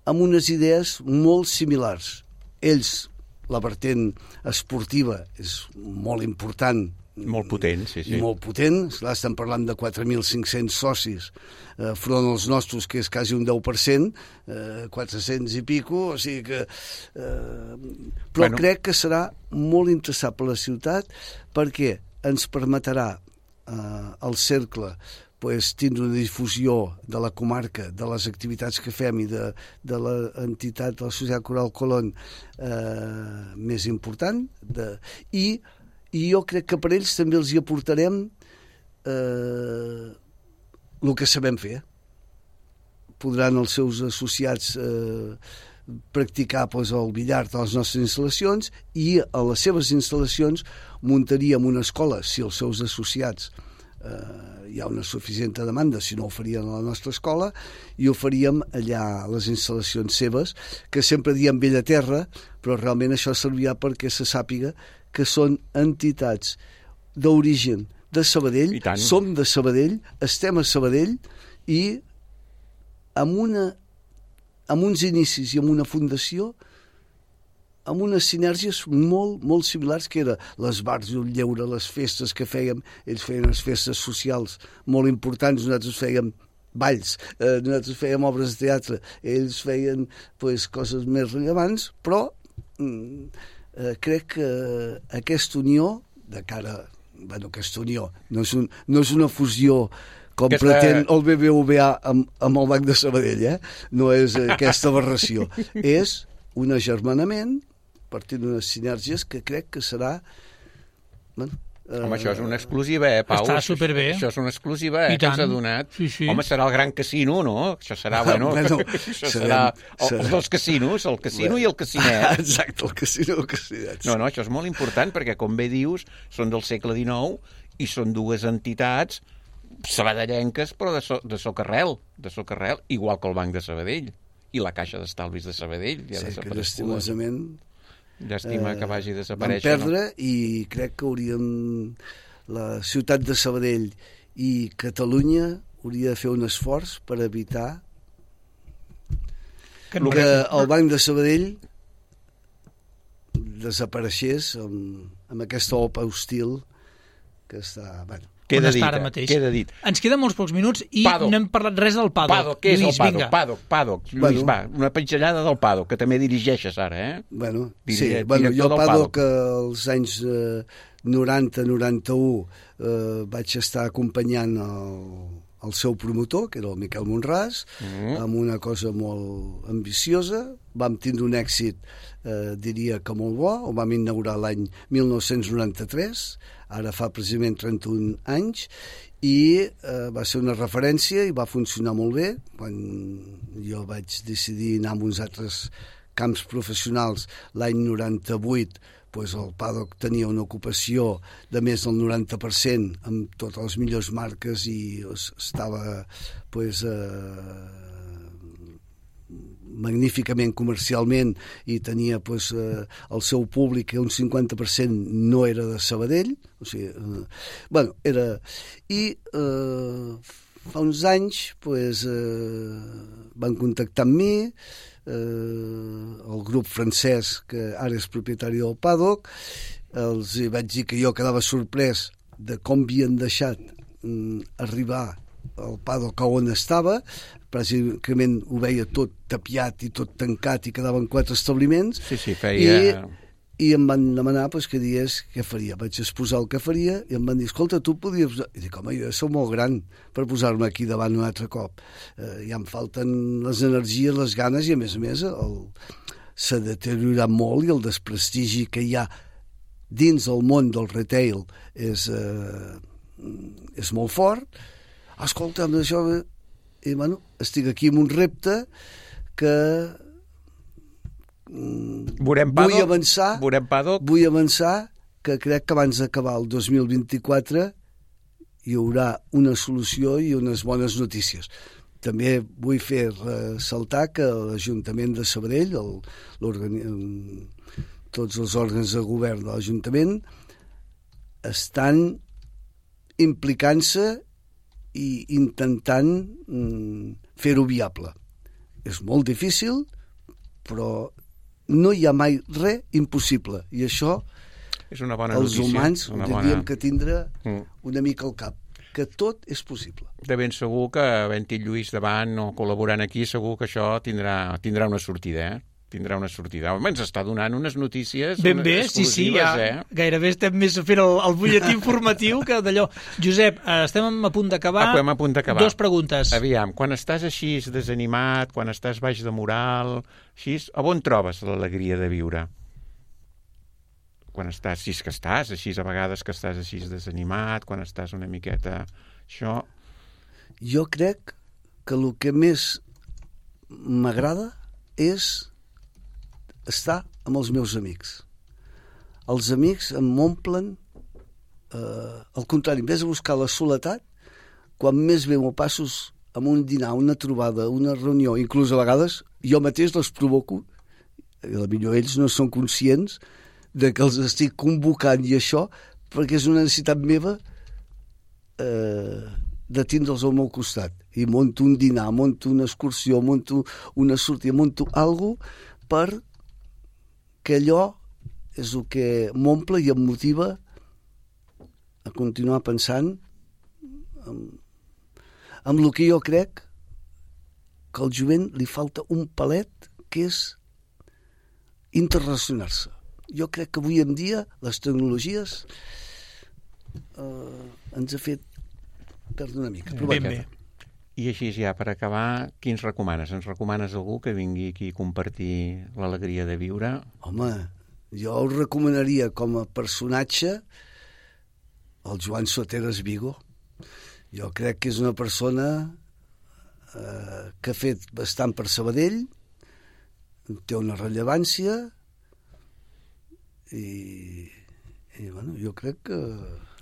amb unes idees molt similars. Ells, la vertent esportiva és molt important, molt potent, sí, sí. Molt potent, clar, estem parlant de quatre mil cinc-cents socis, eh, front als nostres, que és quasi un deu per cent, eh, quatre-cents i pico, o sigui que... Eh, però bueno. Crec que serà molt interessant per la ciutat perquè ens permetrà eh, el cercle pues, tindre una difusió de la comarca, de les activitats que fem i de, de l'entitat de la Societat Coral Colón eh, més important, de, i i jo crec que per ells també els hi aportarem eh, el que sabem fer. Podran els seus associats eh, practicar pues, el billar de les nostres instal·lacions i a les seves instal·lacions muntaríem una escola, si els seus associats eh, hi ha una suficient demanda, si no ho farien a la nostra escola, i ho faríem allà a les instal·lacions seves, que sempre diem vella terra, però realment això servirà perquè se sàpiga que són entitats d'origen de Sabadell, som de Sabadell, estem a Sabadell i amb, una, amb uns inicis i amb una fundació amb unes sinergies molt, molt similars, que era les bars i el lleure, les festes que fèiem, ells feien les festes socials molt importants, nosaltres fèiem balls, eh, nosaltres fèiem obres de teatre, ells feien pues, coses més rellevants, però mm, Eh, crec que aquesta unió de cara, bueno, aquesta unió no és, un, no és una fusió com aquesta... pretén el B B V A amb, amb el Banc de Sabadell, eh? No és aquesta aberració, és un agermanament partint d'unes sinergies que crec que serà bueno, Home, això és una exclusiva, eh, Pau? Està superbé. Això és una exclusiva, eh, que s'ha donat. Sí, sí. Home, serà el gran casino, no? Això serà, bueno, bueno això serà el, els dos casinos, el casino bueno. i el casinet. Exacte, el casino i el casinet. No, no, això és molt important, perquè, com bé dius, són del segle dinou i són dues entitats sabadellenques, però de, so, de socarrel, de socarrel, igual que el Banc de Sabadell i la Caixa d'Estalvis de Sabadell. Ja sí, que l'estimosament... Llàstima que vagi a desaparèixer. Vam perdre, no? I crec que hauríem... La ciutat de Sabadell i Catalunya hauria de fer un esforç per evitar que, que el Banc de Sabadell desapareixés amb, amb aquesta opa hostil que està... Bueno, Queda dit, eh? Queda dit. Ens queden molts pocs minuts i Paddock. No hem parlat res del Paddock. Paddock, què és Lluís, el Paddock? Paddock, Paddock. Lluís, bueno. Va, una pinzellada del Paddock, que també dirigeixes ara, eh? Bueno, Dirige, sí, bueno, jo Paddock, als anys eh, noranta noranta-u eh, vaig estar acompanyant el, el seu promotor, que era el Miquel Monràs, mm. amb una cosa molt ambiciosa. Vam tindre un èxit, eh, diria que molt bo, ho vam inaugurar l'any mil nou-cents noranta-tres, ara fa precisament trenta-un anys, i eh, va ser una referència i va funcionar molt bé. Quan jo vaig decidir anar a uns altres camps professionals l'any noranta-vuit, pues el Paddock tenia una ocupació de més del noranta per cent amb totes les millors marques i estava pues, eh, magníficament comercialment i tenia pues, eh, el seu públic, que un cinquanta per cent no era de Sabadell, o sigui, eh, bueno, era... I eh, fa uns anys pues, eh, van contactar amb mi, eh, el grup francès, que ara és propietari del Paddock, els vaig dir que jo quedava sorprès de com havien deixat mm, arribar el Paddock a on estava. Pràcticament ho veia tot tapiat i tot tancat i quedaven quatre establiments. Sí, sí, feia... I, i em van demanar pues, que digués què faria. Vaig exposar el que faria i em van dir, escolta, tu podies... I dic, home, jo soc molt gran per posar-me aquí davant un altre cop. Eh, ja em falten les energies, les ganes i, a més a més, el... s'ha deteriorat molt i el desprestigi que hi ha dins el món del retail és, eh, és molt fort. Escolta, amb això... I, bueno, estic aquí amb un repte que Veurem vull Paddock, avançar veurem Paddock. vull avançar que crec que abans d'acabar el dos mil vint-i-quatre hi haurà una solució i unes bones notícies. també vull fer ressaltar que l'Ajuntament de Sabadell, el, tots els òrgans de govern de l'Ajuntament, estan implicant-se i intentant mm, fer-ho viable. És molt difícil, però no hi ha mai res impossible. I això és una bona els notícia, humans ho hauríem bona... que tindre mm. una mica al cap, que tot és possible. De ben segur que havent-hi Lluís davant o col·laborant aquí, segur que això tindrà, tindrà una sortida, eh? Tindrà una sortida. Home, ens està donant unes notícies ben bé, exclusives, sí, sí, ja, eh? Gairebé estem més fent el, el butlletí informatiu que d'allò. Josep, estem a punt d'acabar. Ah, a punt d'acabar. Dos preguntes. Aviam, quan estàs així desanimat, quan estàs baix de moral, així, a on trobes l'alegria de viure? Quan estàs, si és que estàs, així a vegades que estàs així desanimat, quan estàs una miqueta... Això... Jo crec que el que més m'agrada és estar amb els meus amics. Els amics em omplen, eh, al contrari, en vez de buscar la soledat, quan més bé m'ho passo amb un dinar, una trobada, una reunió, inclús a vegades jo mateix les provoco, i potser ells no són conscients de que els estic convocant i això, perquè és una necessitat meva eh, de tindre'ls al meu costat. I monto un dinar, monto una excursió, monto una sortida, monto alguna cosa per que allò és el que m'omple i em motiva a continuar pensant en, en el que jo crec que al jovent li falta un palet, que és interrelacionar-se. Jo crec que avui en dia les tecnologies eh, ens ha fet perdre una mica. Ben bé. I així ja, per acabar, qui ens recomanes? Ens recomanes algú que vingui aquí a compartir l'alegria de viure? Home, jo el recomanaria com a personatge el Joan Soteras Vigo. Jo crec que és una persona eh, que ha fet bastant per Sabadell, té una rellevància i, i bueno, jo crec que...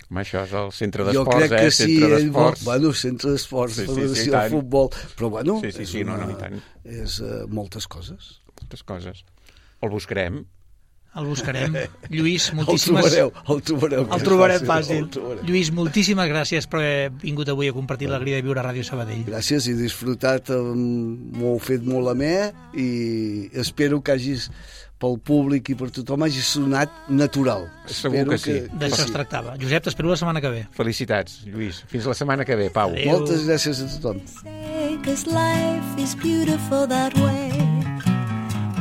Home, això és el centre d'esports, eh? Jo crec que sí, centre d'esports. Bueno, centre d'esports, sí, sí, federació sí, de futbol, però bueno, sí, sí, és, sí, una, no, no, i tant. és uh, moltes coses. Moltes coses. El buscarem. El buscarem. Lluís, moltíssimes... El trobareu, el trobareu. El trobarem fàcil. El trobarem. Lluís, moltíssimes gràcies per haver vingut avui a compartir l'alegria de viure a Ràdio Sabadell. Gràcies, he disfrutat, m'ho he fet molt amè i espero que hagis, pel públic i per tothom, hagi sonat natural. Segur espero que sí. Que, D'això sí. es tractava. Josep, t'espero la setmana que ve. Felicitats, Lluís. Fins la setmana que ve, Pau. Adéu. Moltes gràcies a tothom. Because life is beautiful that way.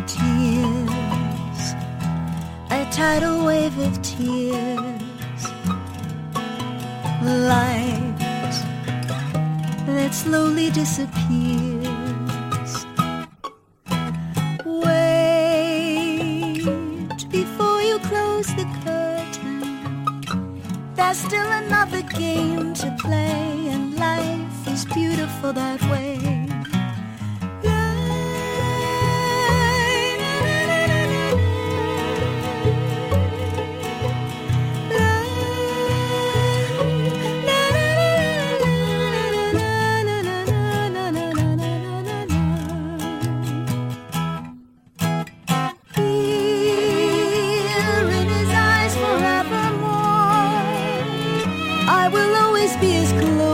Tears, a tidal wave of tears. Light that slowly disappears. Wait before you close the curtain. There's still another game to play, and life is beautiful that way. Be as close